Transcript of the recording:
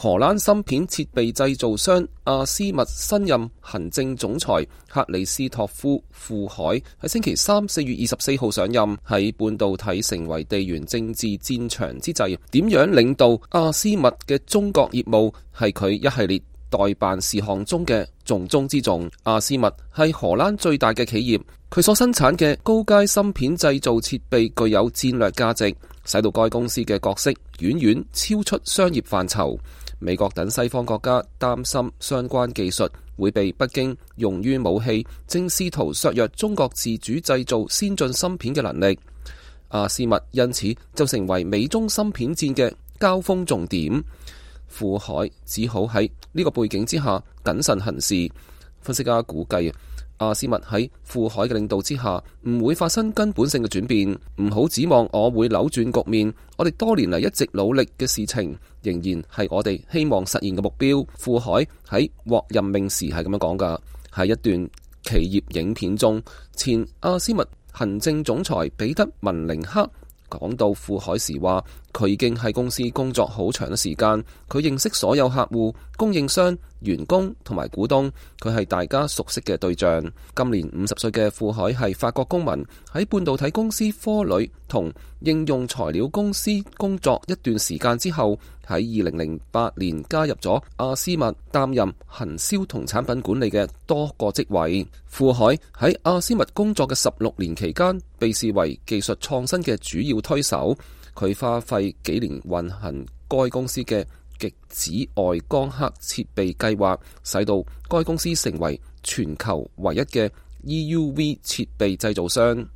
荷蘭芯片設備製造商阿斯密新任行政總裁克里斯托夫庫海喺星期三4月24號上任。喺半導體成為地緣政治戰場之際，點樣領導阿斯密嘅中國業務係佢一系列待辦事項中嘅重中之重。阿斯密係荷蘭最大嘅企業，佢所生產嘅高階芯片製造設備具有戰略價值，使到該公司嘅角色遠遠超出商業範疇。美國等西方國家擔心相關技術會被北京用於武器，正試圖削弱中國自主製造先進芯片嘅能力。阿斯密因此就成為美中芯片戰嘅交鋒重點。庫海只好喺呢個背景之下謹慎行事。分析家估計，阿斯密喺庫海嘅領導之下唔會發生根本性嘅轉變，唔好指望我會扭轉局面。我哋多年嚟一直努力嘅事情，仍然係我哋希望實現嘅目標。庫海喺獲任命時係咁樣講㗎。喺一段企業影片中，前阿斯密行政總裁彼得文寧克講到庫海時話，佢已經喺公司工作好長嘅時間，佢認識所有客戶、供應商、員工同埋股東，佢係大家熟悉嘅對象。今年50歲嘅庫海係法國公民，喺半導體公司科磊同應用材料公司工作一段時間之後，喺2008年加入咗阿斯密，擔任行銷同產品管理嘅多個職位。庫海喺阿斯密工作嘅16年期間，被視為技術創新嘅主要推手。佢花費幾年運行該公司嘅極紫外光刻設備計劃，使到該公司成為全球唯一嘅 EUV 設備製造商。